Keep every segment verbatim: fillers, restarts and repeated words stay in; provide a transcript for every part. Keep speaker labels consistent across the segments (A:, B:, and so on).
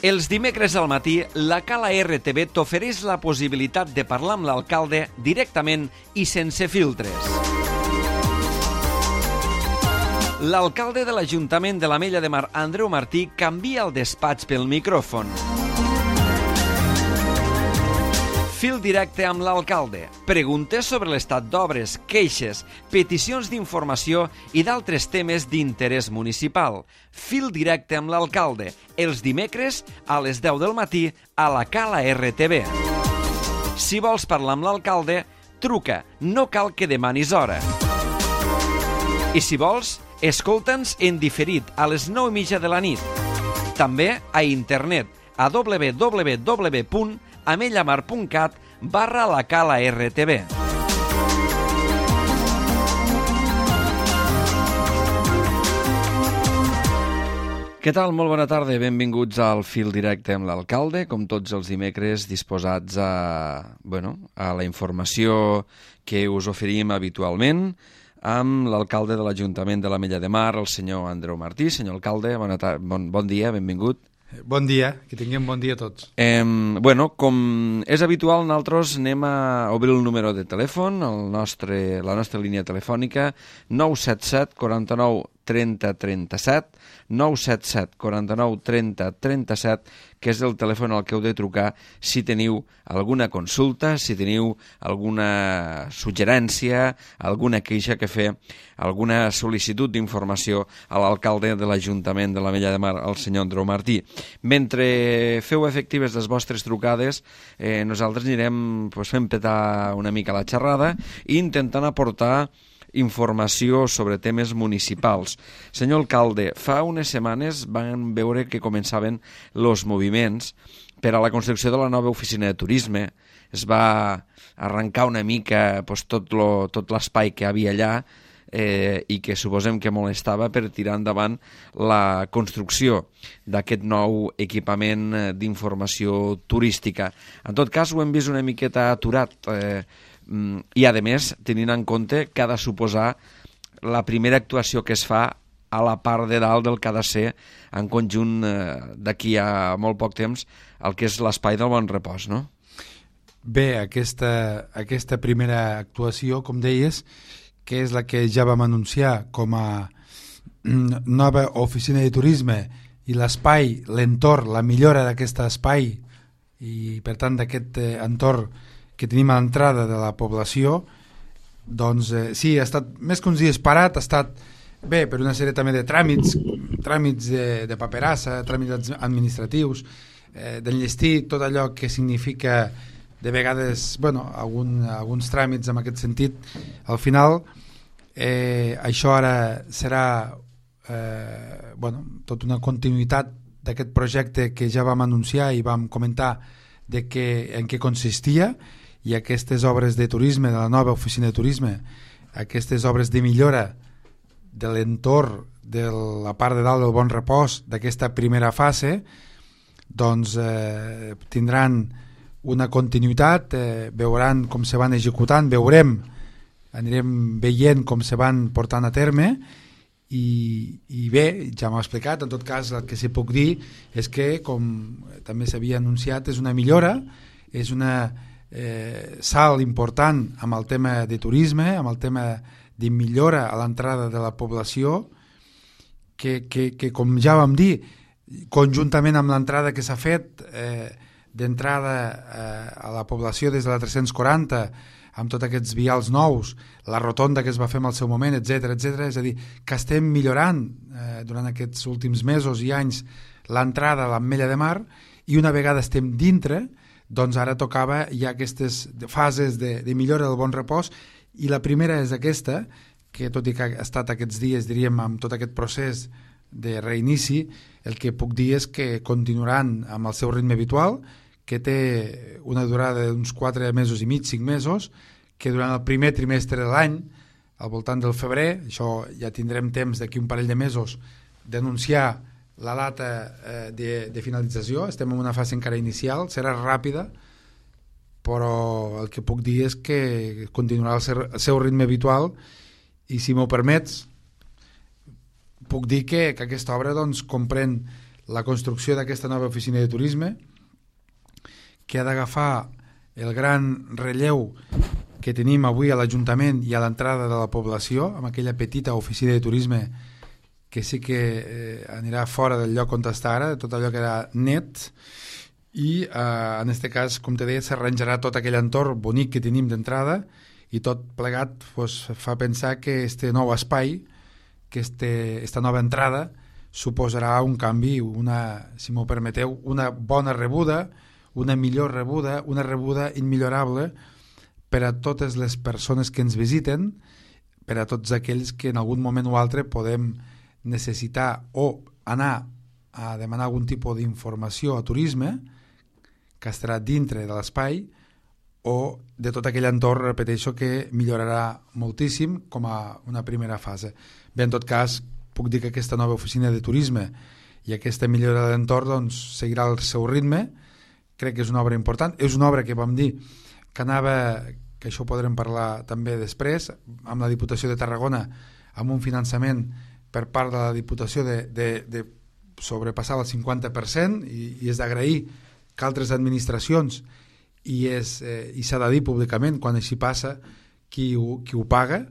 A: Els dimecres al matí, la Cala R T V t'ofereix la possibilitat de parlar amb l'alcalde directament i sense filtres. L'alcalde de l'Ajuntament de l'Ametlla de Mar, Andreu Martí, canvia el despatx pel micròfon. Fil directe amb l'alcalde. Preguntes sobre l'estat d'obres, queixes, peticions d'informació i d'altres temes d'interès municipal. Fil directe amb l'alcalde. Els dimecres a les deu del matí a la Cala R T V. Si vols parlar amb l'alcalde, truca. No cal que demanis hora. I si vols, escolta'ns en diferit a les nou i mitja de la nit. També a internet a w w w punt amellamar punt cat barra la Cala R T V. Què tal? Molt bona tarda. Benvinguts al Fil Directe amb l'alcalde, com tots els dimecres, disposats a, bueno, a la informació que us oferim habitualment amb l'alcalde de l'Ajuntament de l'Ametlla de Mar, el senyor Andreu Martí. Senyor alcalde, bona tar- bon, bon dia, benvingut.
B: Bon dia, que tinguem bon dia a tots.
A: Eh, bueno, com és habitual, nosaltres anem a obrir el número de telèfon, el nostre, la nostra línia telefònica, nou set set, quaranta-nou, trenta, trenta-set, nou set set, quaranta-nou, trenta, trenta-set, que és el telèfon al que heu de trucar si teniu alguna consulta, si teniu alguna suggerència, alguna queixa que fer, alguna sol·licitud d'informació a l'alcalde de l'Ajuntament de l'Ametlla de Mar, el senyor Andreu Martí. Mentre feu efectives les vostres trucades, eh, nosaltres anirem pues, fent petar una mica la xerrada i intentant aportar informació sobre temes municipals. Senyor alcalde, fa unes setmanes van veure que començaven els moviments per a la construcció de la nova oficina de turisme. Es va arrencar una mica pues, tot, lo, tot l'espai que hi havia allà eh, i que suposem que molestava per tirar endavant la construcció d'aquest nou equipament d'informació turística. En tot cas, ho hem vist una miqueta aturat, eh, i a més tenint en compte que ha de suposar la primera actuació que es fa a la part de dalt del que ha de ser en conjunt eh, d'aquí a molt poc temps el que és l'espai del Bon Repòs, no?
B: Bé, aquesta, aquesta primera actuació, com deies, que és la que ja vam anunciar com a nova oficina de turisme i l'espai, l'entorn, la millora d'aquest espai i per tant d'aquest eh, entorn que tenim a l'entrada de la població, doncs eh, sí, ha estat més que uns dies parat, ha estat bé per una sèrie també de tràmits, tràmits de, de paperassa, tràmits administratius, eh, d'enllestir tot allò que significa de vegades, bueno, algun, alguns tràmits en aquest sentit. Al final, eh, això ara serà eh, bueno, tota una continuïtat d'aquest projecte que ja vam anunciar i vam comentar de que, en què consistia, i aquestes obres de turisme, de la nova oficina de turisme, aquestes obres de millora de l'entorn de la part de dalt del Bon Repòs d'aquesta primera fase, doncs eh, tindran una continuïtat, eh, veuran com se van executant, veurem, anirem veient com se van portant a terme i, i bé, ja m'ho he explicat, en tot cas el que sí puc dir és que, com també s'havia anunciat, és una millora, és una Eh, salt important amb el tema de turisme, amb el tema de millora a l'entrada de la població, que, que, que com ja vam dir, conjuntament amb l'entrada que s'ha fet eh, d'entrada eh, a la població des de la tres-cents quaranta, amb tots aquests vials nous, la rotonda que es va fer en el seu moment, etcètera, etcètera, és a dir, que estem millorant eh, durant aquests últims mesos i anys l'entrada a l'Ametlla de Mar, i una vegada estem dintre, doncs ara tocava ja aquestes fases de, de millora del Bon Repòs, i la primera és aquesta, que tot i que ha estat aquests dies, diríem, amb tot aquest procés de reinici, el que puc dir és que continuaran amb el seu ritme habitual, que té una durada d'uns quatre mesos i mig, cinc mesos, que durant el primer trimestre de l'any, al voltant del febrer, això ja tindrem temps d'aquí un parell de mesos, d'anunciar la data eh, de, de finalització. Estem en una fase encara inicial, serà ràpida, però el que puc dir és que continuarà el seu, el seu ritme habitual, i si m'ho permets puc dir que, que aquesta obra doncs, comprèn la construcció d'aquesta nova oficina de turisme, que ha d'agafar el gran relleu que tenim avui a l'Ajuntament i a l'entrada de la població, amb aquella petita oficina de turisme que sí que eh, anirà fora del lloc on està ara, tot allò que era net, i eh, en aquest cas, com te deia, s'arranjarà tot aquell entorn bonic que tenim d'entrada, i tot plegat pues, fa pensar que este nou espai, que este, esta nova entrada suposarà un canvi, una, si m'ho permeteu, una bona rebuda, una millor rebuda, una rebuda immillorable per a totes les persones que ens visiten, per a tots aquells que en algun moment o altre podem necessitar o anar a demanar algun tipus d'informació a turisme que estarà dintre de l'espai o de tot aquell entorn, repeteixo, que millorarà moltíssim com a una primera fase. Bé, en tot cas, puc dir que aquesta nova oficina de turisme i aquesta millora de l'entorn doncs, seguirà el seu ritme. Crec que és una obra important. És una obra que vam dir que anava, que això ho podrem parlar també després, amb la Diputació de Tarragona, amb un finançament per part de la Diputació de, de, de sobrepassar el cinquanta per cent, i, i és d'agrair que altres administracions, i és eh, i s'ha de dir públicament quan així passa, qui ho, qui ho paga,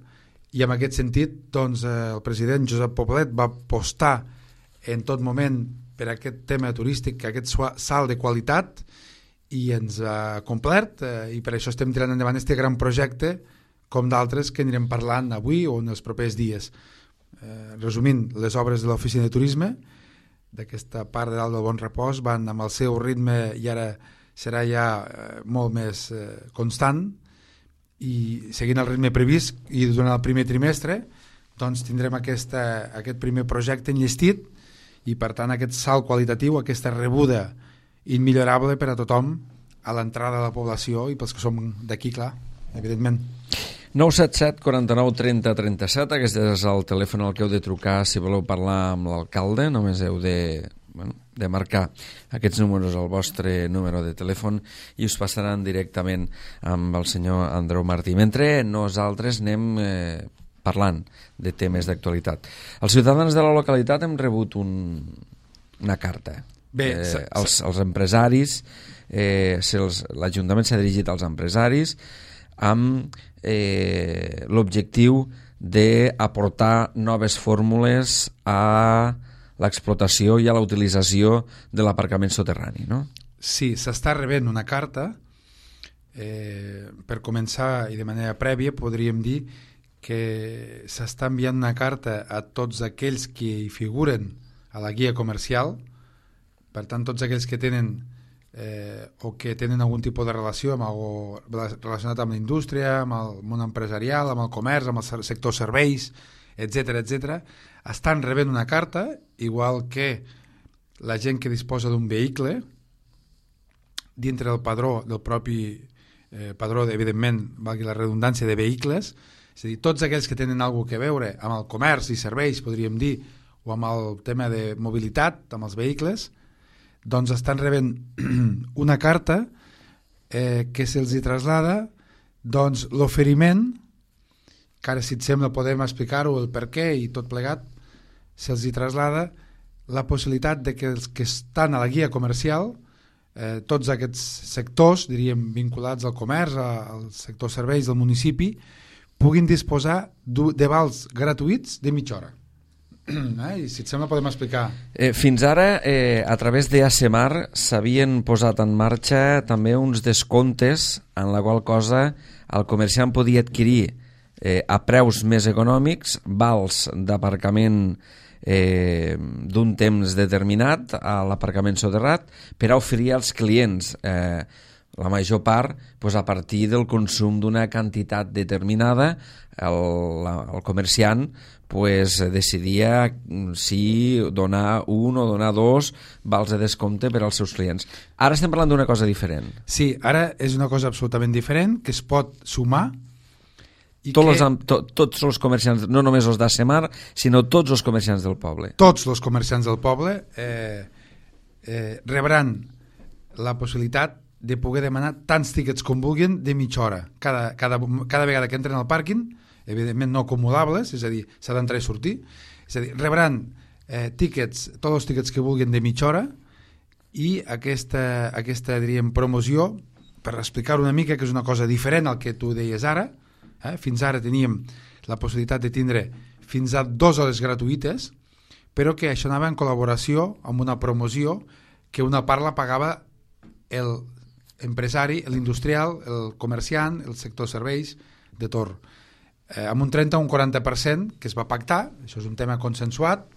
B: i en aquest sentit doncs, eh, el president Josep Poblet va apostar en tot moment per aquest tema turístic, aquest salt de qualitat, i ens ha complert, eh, i per això estem tirant endavant aquest gran projecte, com d'altres que anirem parlant avui o en els propers dies. Eh, resumint, les obres de l'oficina de turisme d'aquesta part de dalt del Bon Repòs van amb el seu ritme i ara serà ja eh, molt més eh, constant, i seguint el ritme previst i durant el primer trimestre doncs tindrem aquesta, aquest primer projecte enllestit, i per tant aquest salt qualitatiu, aquesta rebuda immillorable per a tothom a l'entrada de la població i pels que som d'aquí, clar, evidentment.
A: nou set set, quaranta-nou, trenta, trenta-set, aquest és el telèfon al que heu de trucar si voleu parlar amb l'alcalde. Només heu de, bueno, de marcar aquests números al vostre número de telèfon i us passaran directament amb el senyor Andreu Martí. Mentre nosaltres anem eh, parlant de temes d'actualitat. Els ciutadans de la localitat hem rebut un, una carta.
B: Bé,
A: eh, els, els empresaris, eh, si els, l'Ajuntament s'ha dirigit als empresaris amb eh, l'objectiu d'aportar noves fórmules a l'explotació i a la utilització de l'aparcament soterrani, no?
B: Sí, s'està rebent una carta. Eh, per començar, i de manera prèvia, podríem dir que s'està enviant una carta a tots aquells que hi figuren a la guia comercial, per tant, tots aquells que tenen eh, o que tenen algun tipus de relació amb algo relacionat amb la indústria, amb el món empresarial, amb el comerç, amb el sector serveis, etcètera, etcètera, estan rebent una carta, igual que la gent que disposa d'un vehicle, dintre del padró, del propi eh, padró, evidentment, valgui la redundància, de vehicles, és a dir, tots aquells que tenen alguna cosa a veure amb el comerç i serveis, podríem dir, o amb el tema de mobilitat, amb els vehicles, doncs estan rebent una carta eh, que se'ls hi traslada doncs, l'oferiment, que ara, si et sembla, podem explicar-ho, el per què i tot plegat, se'ls hi traslada la possibilitat de que els que estan a la guia comercial, eh, tots aquests sectors, diríem, vinculats al comerç, al sector serveis del municipi, puguin disposar de vals gratuïts de mitja hora. Eh? I si et sembla podem explicar.
A: Eh, fins ara, eh, a través d'Acemar s'havien posat en marxa també uns descomptes en la qual cosa el comerciant podia adquirir eh, a preus més econòmics vals d'aparcament eh, d'un temps determinat a l'aparcament soterrat per a oferir als clients eh, la major part pues, a partir del consum d'una quantitat determinada. El, el comerciant pues, decidia si donar un o donar dos vals de descompte per als seus clients. Ara estem parlant d'una cosa diferent.
B: Sí, ara és una cosa absolutament diferent que es pot sumar. I
A: tots,
B: que...
A: els, to, tots els comerciants, no només els d'Acemar, sinó tots els comerciants del poble.
B: Tots els comerciants del poble eh, eh, rebran la possibilitat de poder demanar tants tíquets com vulguin de mitja hora. Cada, cada, cada vegada que entren al pàrquing, evidentment no acumulables, és a dir, s'ha d'entrar i sortir, és a dir, rebran eh, tíquets, tots els tíquets que vulguin de mitja hora, i aquesta, aquesta diríem, promoció, per explicar una mica, que és una cosa diferent al que tu deies ara. Eh? Fins ara teníem la possibilitat de tindre fins a dues hores gratuïtes, però que això anava en col·laboració amb una promoció que una part la pagava l'empresari, l'industrial, el comerciant, el sector serveis de torn. Eh, amb un trenta o un quaranta per cent que es va pactar, això és un tema consensuat,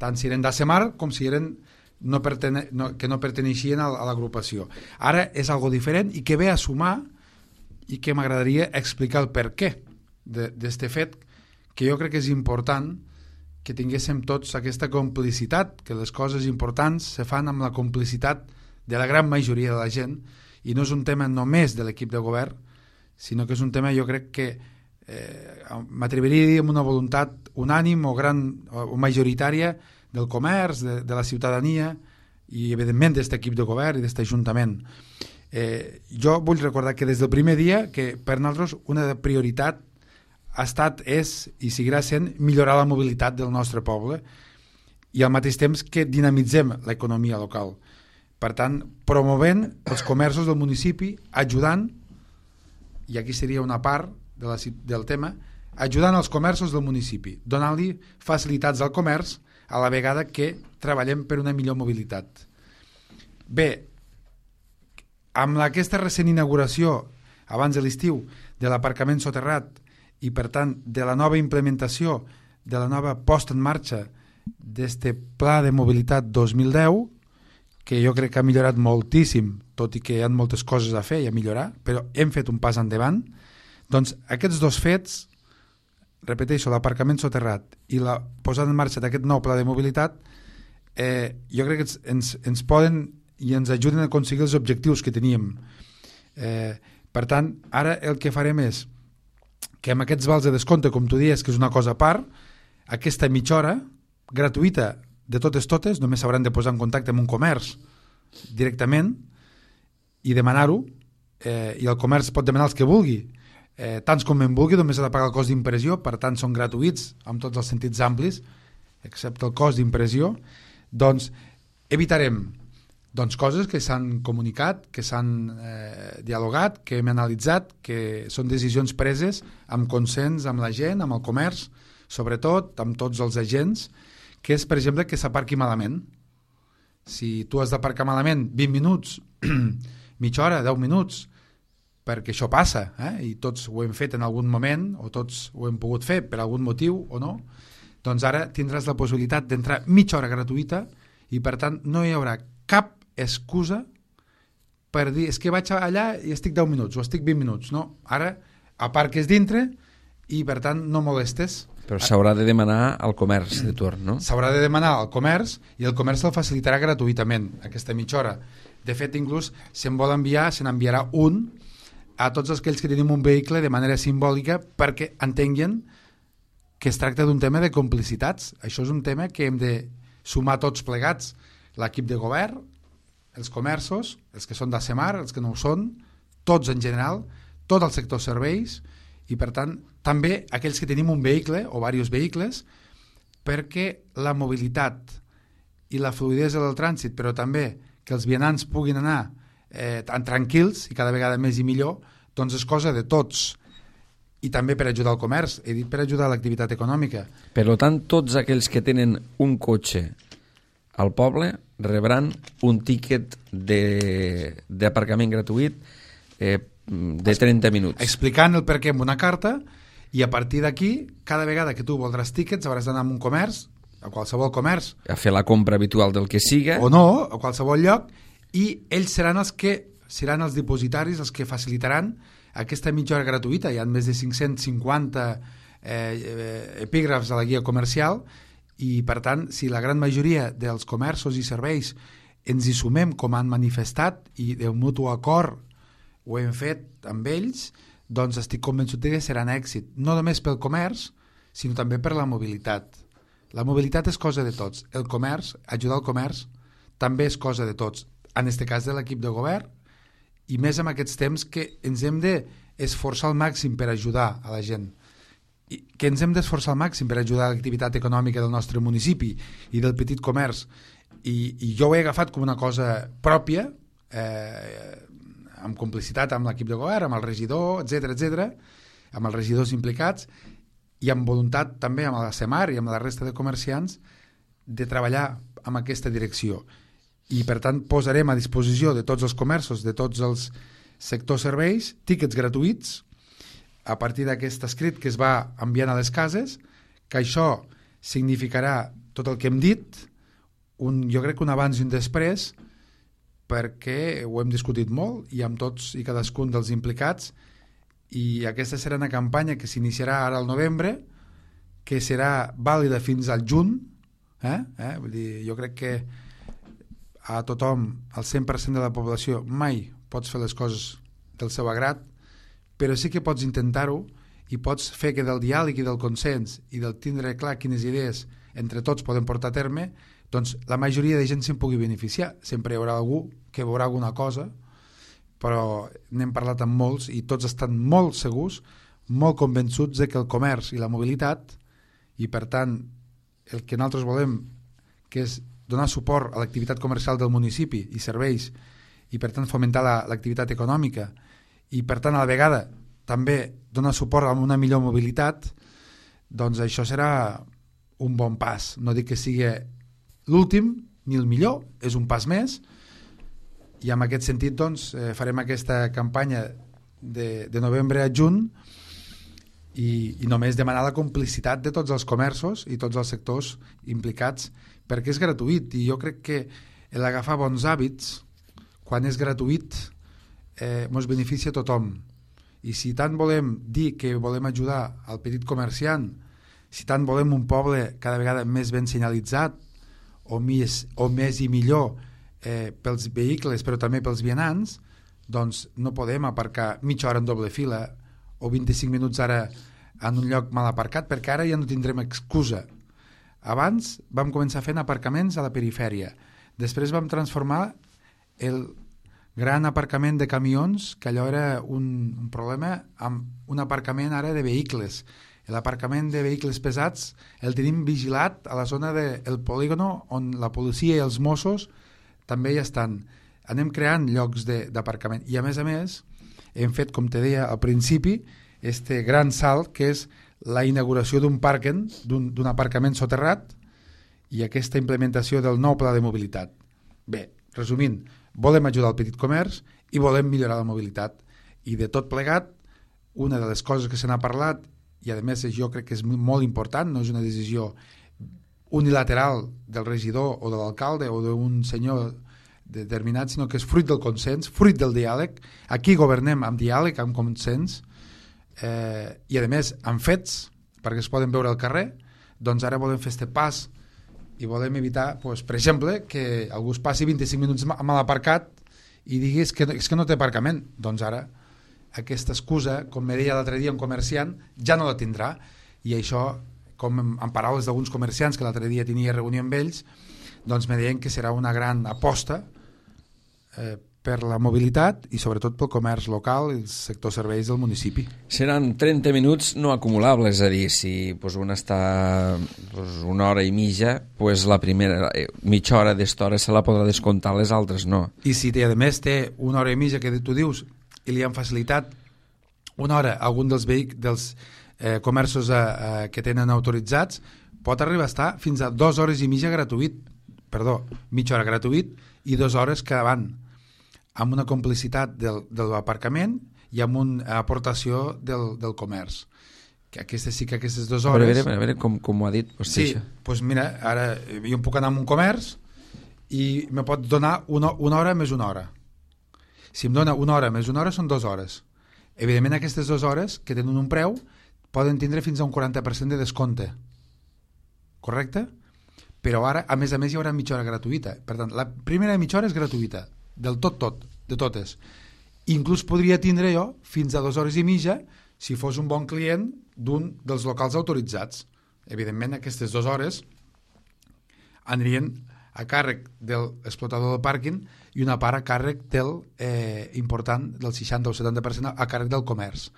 B: tant si eren d'Asemar com si eren no pertene, no, que no perteneixien a, a l'agrupació. Ara és algo diferent i que ve a sumar, i que m'agradaria explicar el per què d'aquest fet, que jo crec que és important que tinguéssim tots aquesta complicitat, que les coses importants se fan amb la complicitat de la gran majoria de la gent, i no és un tema només de l'equip de govern, sinó que és un tema, jo crec que eh, m'atreviria a dir amb una voluntat unànim o, gran, o majoritària del comerç, de, de la ciutadania i evidentment d'aquest equip de govern i d'aquest ajuntament. Eh, jo vull recordar que des del primer dia que per nosaltres una prioritat ha estat, és i seguirà sent millorar la mobilitat del nostre poble i al mateix temps que dinamitzem l'economia local. Per tant, promovent els comerços del municipi, ajudant, i aquí seria una part de la, del tema, ajudant els comerços del municipi, donant-li facilitats al comerç a la vegada que treballem per una millor mobilitat. Bé, amb aquesta recent inauguració, abans de l'estiu, de l'aparcament soterrat i, per tant, de la nova implementació, de la nova posta en marxa d'aquest Pla de Mobilitat dos mil deu, que jo crec que ha millorat moltíssim, tot i que hi ha moltes coses a fer i a millorar, però hem fet un pas endavant, doncs aquests dos fets, repeteixo, l'aparcament soterrat i la posada en marxa d'aquest nou pla de mobilitat, eh, jo crec que ens, ens poden i ens ajuden a aconseguir els objectius que teníem. Eh, per tant, ara el que farem és que amb aquests vals de descompte, com tu dius, que és una cosa a part, aquesta mitja hora gratuïta de totes totes, només s'hauran de posar en contacte amb un comerç directament i demanar-ho, eh, i el comerç pot demanar els que vulgui, eh, tants com en vulgui, només ha de pagar el cost d'impressió, per tant són gratuïts amb tots els sentits amplis, excepte el cost d'impressió. Doncs evitarem doncs, coses que s'han comunicat, que s'han eh, dialogat, que hem analitzat, que són decisions preses amb consens amb la gent, amb el comerç, sobretot amb tots els agents, que és, per exemple, que s'aparqui malament. Si tu has d'aparcar malament vint minuts, mitja hora, deu minuts, perquè això passa, eh? I tots ho hem fet en algun moment, o tots ho hem pogut fer per algun motiu o no, doncs ara tindràs la possibilitat d'entrar mitja hora gratuïta i, per tant, no hi haurà cap excusa per dir, és que vaig allà i estic deu minuts o estic vint minuts. No, ara aparques dintre i, per tant, no molestes.
A: Però s'haurà de demanar al comerç de torn, no?
B: S'haurà de demanar al comerç i el comerç el facilitarà gratuïtament, aquesta mitja hora. De fet, inclús se'n vol enviar, se n'enviarà un a tots aquells que tenim un vehicle de manera simbòlica perquè entenguin que es tracta d'un tema de complicitats. Això és un tema que hem de sumar tots plegats, l'equip de govern, els comerços, els que són d'Asemar, els que no ho són, tots en general, tot el sector serveis i, per tant, també aquells que tenim un vehicle o diversos vehicles, perquè la mobilitat i la fluïdesa del trànsit, però també que els vianants puguin anar eh, tan tranquils i cada vegada més i millor, doncs és cosa de tots. I també per ajudar el comerç, he dit per ajudar l'activitat econòmica.
A: Per tant, tots aquells que tenen un cotxe al poble rebran un tíquet d'aparcament gratuït eh, de trenta minuts.
B: Explicant el per què amb una carta, i a partir d'aquí, cada vegada que tu voldràs tíquets hauràs d'anar a un comerç, a qualsevol comerç,
A: a fer la compra habitual del que siga,
B: o no, a qualsevol lloc, i ells seran els que seran els dipositaris, els que facilitaran aquesta mitja hora gratuïta. Hi ha més de cinc-cents cinquanta eh, epígrafs a la guia comercial i, per tant, si la gran majoria dels comerços i serveis ens hi sumem com han manifestat i de mutu acord ho hem fet amb ells, doncs estic convençut que serà un èxit, no només pel comerç, sinó també per la mobilitat. La mobilitat és cosa de tots. El comerç, ajudar el comerç, també és cosa de tots. En aquest cas de l'equip de govern, i més en aquests temps que ens hem d'esforçar al màxim per ajudar a la gent. que ens hem d'esforçar al màxim per ajudar a l'activitat econòmica del nostre municipi i del petit comerç, i, i jo ho he agafat com una cosa pròpia, eh, amb complicitat amb l'equip de govern, amb el regidor, etcètera, etcètera, amb els regidors implicats, i amb voluntat també amb la CEMAR i amb la resta de comerciants de treballar en aquesta direcció. I per tant posarem a disposició de tots els comerços, de tots els sectors serveis, tíquets gratuïts a partir d'aquest escrit que es va enviant a les cases, que això significarà tot el que hem dit, un, jo crec que un abans i un després, perquè ho hem discutit molt i amb tots i cadascun dels implicats, i aquesta serà una campanya que s'iniciarà ara al novembre, que serà vàlida fins al juny, eh? Eh? Vull dir, jo crec que a tothom, al cent per cent de la població, mai pots fer les coses del seu agrat, però sí que pots intentar-ho i pots fer que del diàleg i del consens i del tindre clar quines idees entre tots podem portar a terme, doncs la majoria de gent se'n pugui beneficiar. Sempre hi haurà algú que veurà alguna cosa, però n'hem parlat amb molts i tots estan molt segurs, molt convençuts de que el comerç i la mobilitat, i per tant el que nosaltres volem, que és donar suport a l'activitat comercial del municipi i serveis, i per tant fomentar l'activitat econòmica, i per tant a la vegada també donar suport a una millor mobilitat, doncs això serà un bon pas. No dic que sigui l'últim ni el millor, és un pas més, i en aquest sentit doncs, eh, farem aquesta campanya de, de novembre a juny i, i només demanar la complicitat de tots els comerços i tots els sectors implicats, perquè és gratuït, i jo crec que l'agafar bons hàbits quan és gratuït eh, ens beneficia a tothom. I si tant volem dir que volem ajudar al petit comerciant, si tant volem un poble cada vegada més ben senyalitzat o més, o més i millor Eh, pels vehicles però també pels vianants, doncs no podem aparcar mitja hora en doble fila o vint-i-cinc minuts ara en un lloc mal aparcat, perquè ara ja no tindrem excusa. Abans vam començar fent aparcaments a la perifèria, després vam transformar el gran aparcament de camions, que allò era un, un problema, amb un aparcament ara de vehicles. L'aparcament de vehicles pesats el tenim vigilat a la zona del polígono, on la policia i els Mossos també hi estan. Anem creant llocs d'aparcament i a més a més hem fet, com te deia al principi, este gran salt que és la inauguració d'un pàrquing, d'un aparcament soterrat, i aquesta implementació del nou pla de mobilitat. Bé, resumint, volem ajudar al petit comerç i volem millorar la mobilitat, i de tot plegat una de les coses que se n'ha parlat, i a més jo crec que és molt important, no és una decisió unilateral del regidor o de l'alcalde o d'un senyor determinat, sinó que és fruit del consens, fruit del diàleg. Aquí governem amb diàleg, amb consens, eh, i a més amb fets, perquè es poden veure al carrer. Doncs ara volem fer este pas i volem evitar, doncs, per exemple, que algú es passi vint-i-cinc minuts mal aparcat i digui que, és que no té aparcament. Doncs ara aquesta excusa, com me deia l'altre dia un comerciant, ja no la tindrà, i això, com en paraules d'alguns comerciants que l'altre dia tenia reunió amb ells, doncs me deien que serà una gran aposta eh, per la mobilitat i sobretot pel comerç local i el sector serveis del municipi.
A: Seran trenta minuts no acumulables, és a dir, si pues, un està pues, una hora i mitja, pues, la primera eh, mitja hora d'esta hora se la podrà descomptar, les altres no.
B: I si a més té una hora i mitja que tu dius i li han facilitat una hora a algun dels vehicles dels Eh, comerços eh, eh, que tenen autoritzats, pot arribar a estar fins a dues hores i mitja gratuït, perdó, mitja hora gratuït i dues hores que van amb una complicitat del, de l'aparcament i amb una aportació del, del comerç. Que aquestes sí que aquestes dues hores...
A: A veure, a veure com, com ho ha dit.
B: Sí, doncs pues mira, ara jo em puc anar a un comerç i me pot donar una, una hora més una hora. Si em dona una hora més una hora són dues hores. Evidentment aquestes dues hores que tenen un preu poden tindre fins a un quaranta per cent de descompte. Correcte? Però ara, a més a més, hi haurà mitja hora gratuïta. Per tant, la primera mitja hora és gratuïta. Del tot, tot. De totes. Inclús podria tindre jo fins a dues hores i mitja si fos un bon client d'un dels locals autoritzats. Evidentment, aquestes dues hores anirien a càrrec de l'explotador del pàrquing i una part a càrrec del eh, important, del seixanta o setanta per cent a càrrec del comerç.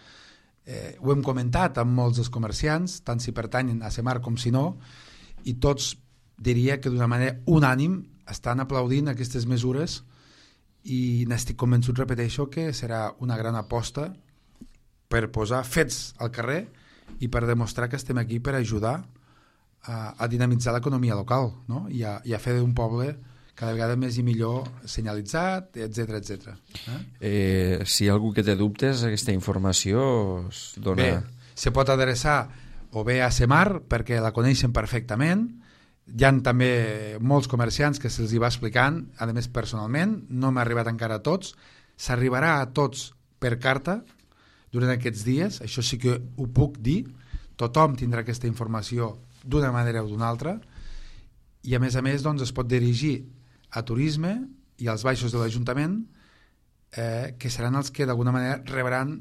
B: eh, ho hem comentat amb molts dels comerciants, tant si pertanyen a Semar com si no, i tots diria que d'una manera unànim estan aplaudint aquestes mesures i n'estic convençut, repeteixo, que serà una gran aposta per posar fets al carrer i per demostrar que estem aquí per ajudar a, a dinamitzar l'economia local, no? I, a, i a fer d'un poble cada vegada més i millor senyalitzat, etcètera, etcètera. Eh?
A: Eh, si hi ha algú que té dubtes, aquesta informació es dona...
B: Bé, se pot adreçar o bé a Semar, perquè la coneixen perfectament. Hi ha també molts comerciants que se'ls hi va explicant, a més personalment, no m'ha arribat encara a tots, s'arribarà a tots per carta durant aquests dies, això sí que ho puc dir, tothom tindrà aquesta informació d'una manera o d'una altra, i a més a més doncs, es pot dirigir a Turisme i als baixos de l'Ajuntament, eh, que seran els que d'alguna manera rebran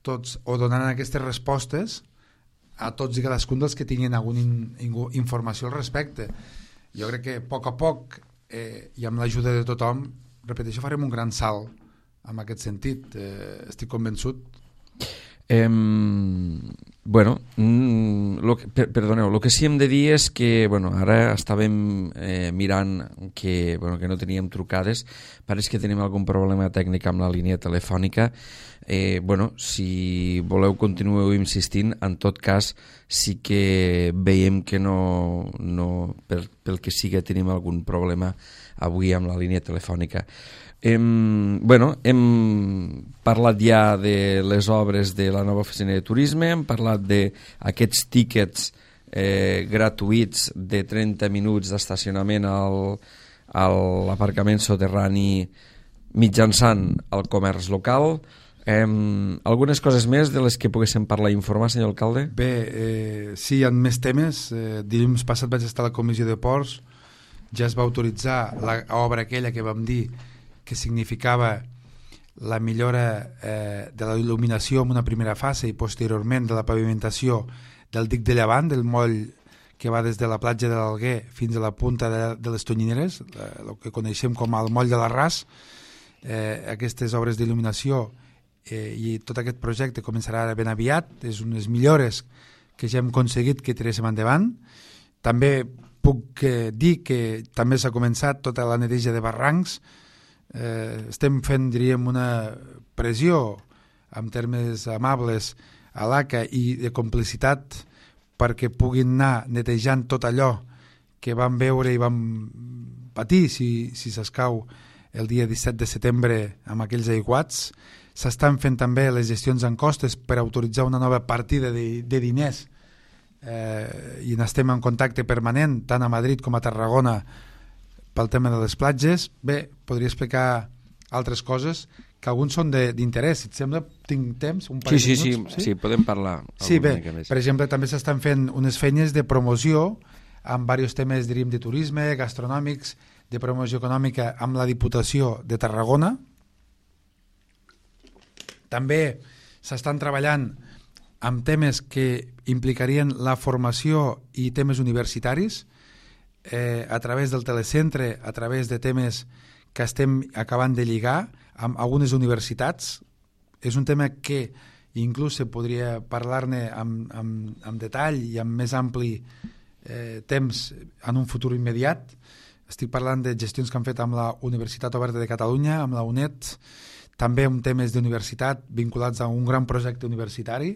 B: tots o donaran aquestes respostes a tots i cadascun dels que tinguin alguna in, informació al respecte. Jo crec que a poc a poc eh, i amb l'ajuda de tothom, repeteixo, farem un gran salt en aquest sentit, eh, estic convençut.
A: Eh, bueno, lo que, per, perdoneu, el que sí hem de dir és que bueno, ara estàvem eh, mirant que, bueno, que no teníem trucades, pareix que tenim algun problema tècnic amb la línia telefònica. Eh, bueno, si voleu continueu insistint, en tot cas sí que veiem que no, no per, pel que siga tenim algun problema avui amb la línia telefònica. Hem, bueno, hem parlat ja de les obres de la nova oficina de turisme, hem parlat d'aquests tíquets eh, gratuïts de trenta minuts d'estacionament al, a l'aparcament soterrani mitjançant el comerç local. Eh, algunes coses més de les que poguéssim parlar i informar, senyor alcalde?
B: Bé, eh, sí, hi ha més temes. Eh, dilluns passat vaig estar a la comissió de ports, ja es va autoritzar l'obra aquella que vam dir que significava la millora eh, de la il·luminació en una primera fase i posteriorment de la pavimentació del dic de Llevant, del moll que va des de la platja de l'Alguer fins a la punta de, de les Tonyineres, eh, el que coneixem com el moll de l'Arràs. Eh, aquestes obres d'il·luminació eh, i tot aquest projecte començarà ben aviat, és unes millores que ja hem aconseguit que tiréssim endavant. També puc eh, dir que també s'ha començat tota la neteja de barrancs. Eh, estem fent, diríem, una pressió en termes amables a l'A C A i de complicitat perquè puguin anar netejant tot allò que vam veure i vam patir si, si s'escau el dia disset de setembre amb aquells aiguats. S'estan fent també les gestions en costes per autoritzar una nova partida de, de diners eh, i n'estem en contacte permanent tant a Madrid com a Tarragona pel tema de les platges. Bé, podria explicar altres coses que alguns són d'interès. Si et sembla, tinc temps? Un
A: sí, sí, sí, sí, sí, podem parlar.
B: Sí, bé, per exemple, també s'estan fent unes feines de promoció amb diversos temes, diríem, de turisme, gastronòmics, de promoció econòmica amb la Diputació de Tarragona. També s'estan treballant amb temes que implicarien la formació i temes universitaris, Eh, a través del telecentre, a través de temes que estem acabant de lligar amb algunes universitats. És un tema que inclús se podria parlar-ne amb, amb, amb detall i amb més ampli eh, temps en un futur immediat. Estic parlant de gestions que han fet amb la Universitat Oberta de Catalunya, amb la U N E D, també amb temes d'universitat vinculats a un gran projecte universitari.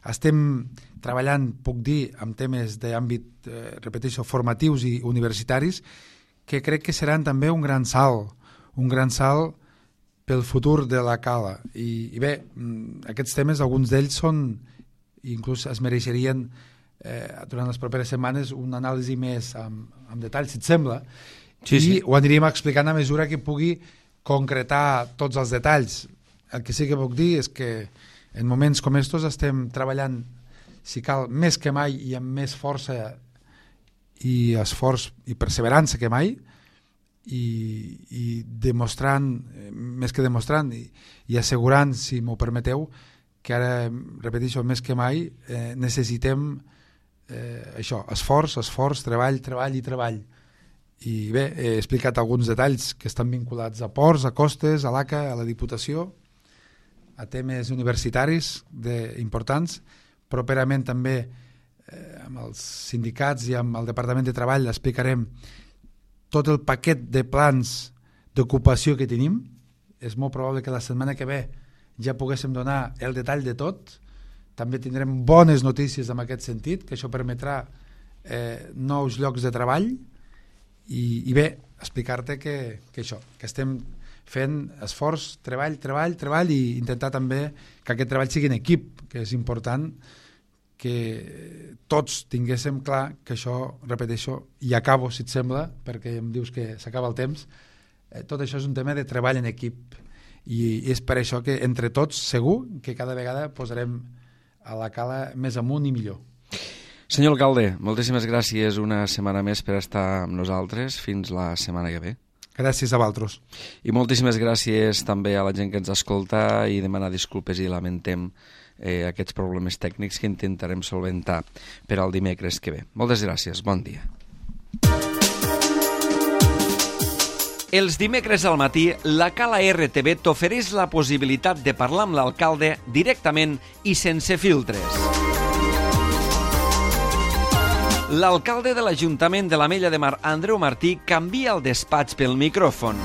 B: Estem treballant, puc dir, amb temes d'àmbit, eh, repeteixo, formatius i universitaris, que crec que seran també un gran salt, un gran salt pel futur de la Cala. I, i bé, aquests temes, alguns d'ells són, inclús es mereixerien eh, durant les properes setmanes una anàlisi més amb, amb detall, si et sembla, sí, i sí. Ho aniríem explicant a mesura que pugui concretar tots els detalls. El que sí que puc dir és que en moments com estos estem treballant, si cal, més que mai i amb més força i esforç i perseverança que mai i, i demostrant, més que demostrant i, i assegurant, si m'ho permeteu, que ara, repeteixo, més que mai eh, necessitem eh, això, esforç, esforç, treball, treball i treball. I bé, he explicat alguns detalls que estan vinculats a ports, a costes, a l'A C A, a la Diputació, a temes universitaris de, importants. Properament també eh, amb els sindicats i amb el Departament de Treball explicarem tot el paquet de plans d'ocupació que tenim. És molt probable que la setmana que ve ja poguéssim donar el detall de tot. També tindrem bones notícies en aquest sentit, que això permetrà eh, nous llocs de treball i, i bé, explicar-te que, que això, que estem fent esforç, treball, treball, treball i intentar també que aquest treball sigui en equip, que és important que tots tinguéssim clar que això, repeteixo, i acabo, si et sembla, perquè em dius que s'acaba el temps, eh, tot això és un tema de treball en equip i és per això que entre tots segur que cada vegada posarem a la cala més amunt i millor.
A: Senyor alcalde, moltíssimes gràcies una setmana més per estar amb nosaltres. Fins la setmana que ve.
B: Gràcies a vosaltres.
A: I moltíssimes gràcies també a la gent que ens escolta i demanar disculpes i lamentem eh, aquests problemes tècnics que intentarem solventar per al dimecres que ve. Moltes gràcies, bon dia. Els dimecres al matí, la Cala R T V t'ofereix la possibilitat de parlar amb l'alcalde directament i sense filtres. L'alcalde de l'Ajuntament de l'Ametlla de Mar, Andreu Martí, canvia el despatx pel micròfon.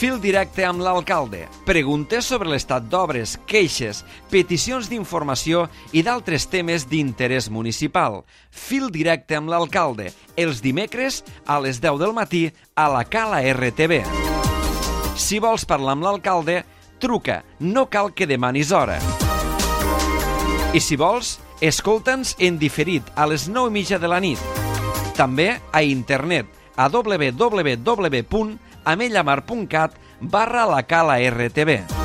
A: Fil directe amb l'alcalde. Preguntes sobre l'estat d'obres, queixes, peticions d'informació i d'altres temes d'interès municipal. Fil directe amb l'alcalde. Els dimecres a les deu del matí a la Cala R T V. Si vols parlar amb l'alcalde, truca. No cal que demanis hora. I si vols, escolta'ns en diferit a les nou i mitja de la nit. També a internet a w w w punt amellamar punt cat barra la Cala R T V.